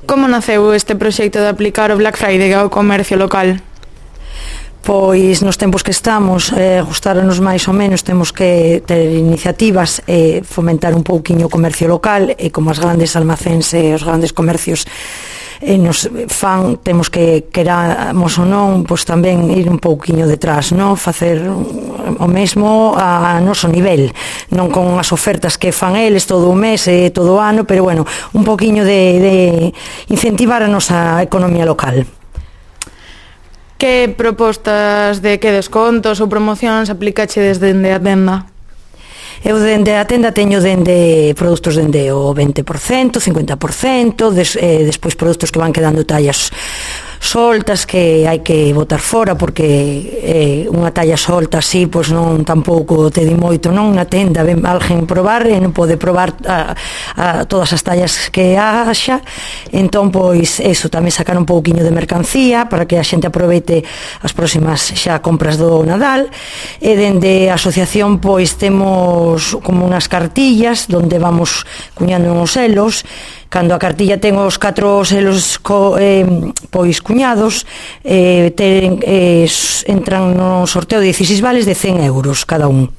Como naceu este proxecto de aplicar o Black Friday ao comercio local? Pois nos tempos que estamos, gustáronos máis ou menos, temos que ter iniciativas e fomentar un pouquiño o comercio local, e como as grandes almacéns e os grandes comercios nos fan, temos que, queramos ou non, pois tamén ir un pouquiño detrás, non? Facer o mesmo a noso nivel, non con as ofertas que fan eles todo o mes e todo o ano, pero bueno, un pouquiño de incentivar a nosa economía local. Que propostas de que descontos ou promocións aplicache desde a tenda? Eu dende a tenda teño dende produtos dende o 20%, 50%, despois produtos que van quedando tallas soltas que hai que botar fora porque unha talla solta así pois non tampouco te di moito, non? Na tenda ven alguén probar e non pode probar a todas as tallas que haxa, entón pois eso, tamén sacar un pouquiño de mercancía para que a xente aproveite as próximas xa compras do Nadal. E dende a asociación pois temos como unhas cartillas onde vamos cuñando uns selos. Cando a cartilla ten os 4 selos pois cuñados, entran no sorteo de 16 vales de 100 euros cada un.